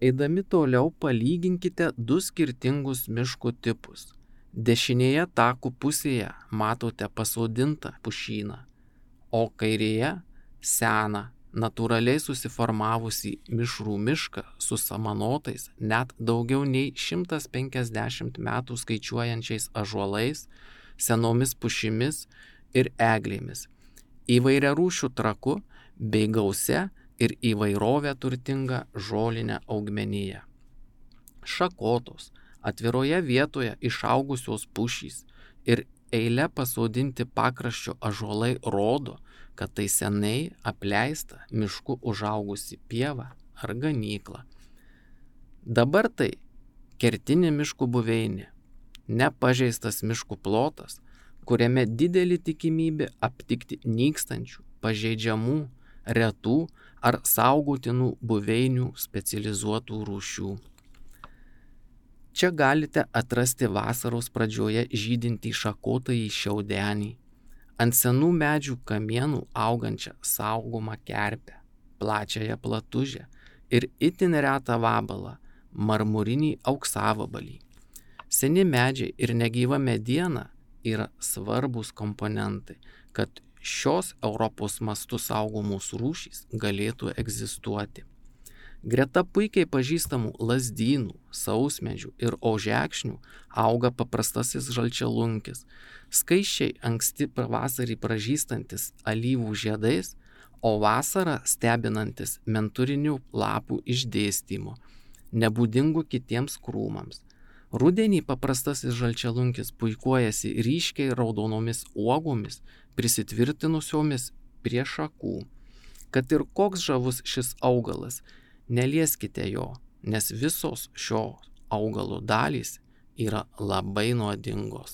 Eidami toliau palyginkite du skirtingus miško tipus. Dešinėje takų pusėje matote pasodintą pušyną, o kairėje seną, natūraliai susiformavusį mišrų mišką su samanotais net daugiau nei 150 metų skaičiuojančiais ąžuolais, senomis pušimis ir eglėmis, įvairiarūšių traku bei gausia ir įvairovė turtinga žolinė augmenija. Šakotos, atviroje vietoje išaugusios pušys ir eile pasodinti pakraščio ąžuolai rodo, kad tai seniai apleista mišku užaugusi pieva ar ganykla. Dabar tai kertinė miškų buveinė, nepažeistas miškų plotas, kuriame didelė tikimybė aptikti nykstančių, pažeidžiamų, retų ar saugotinų buveinių specializuotų rūšių. Čia galite atrasti vasaros pradžioje žydintį šakotąjį šiaudenį, ant senų medžių kamienų augančią saugomą kerpę, plačiąją platužę ir itin retą vabalą, marmurinį auksavabalį. Seni medžiai ir negyva mediena yra svarbus komponentai, kad šios Europos mastu saugomos rūšys galėtų egzistuoti. Greta puikiai pažįstamų lazdynų, sausmedžių ir ožekšnių auga paprastasis žalčialunkis, skaisčiai anksti pavasarį pražystantis alyvų žiedais, o vasarą stebinantis menturinių lapų išdėstymu, nebūdingų kitiems krūmams. Rudenį paprastasis žalčialunkis puikuojasi ryškiai raudonomis uogomis, prisitvirtinusiomis prie šakų. Kad ir koks žavus šis augalas, nelieskite jo, nes visos šio augalo dalys yra labai nuodingos.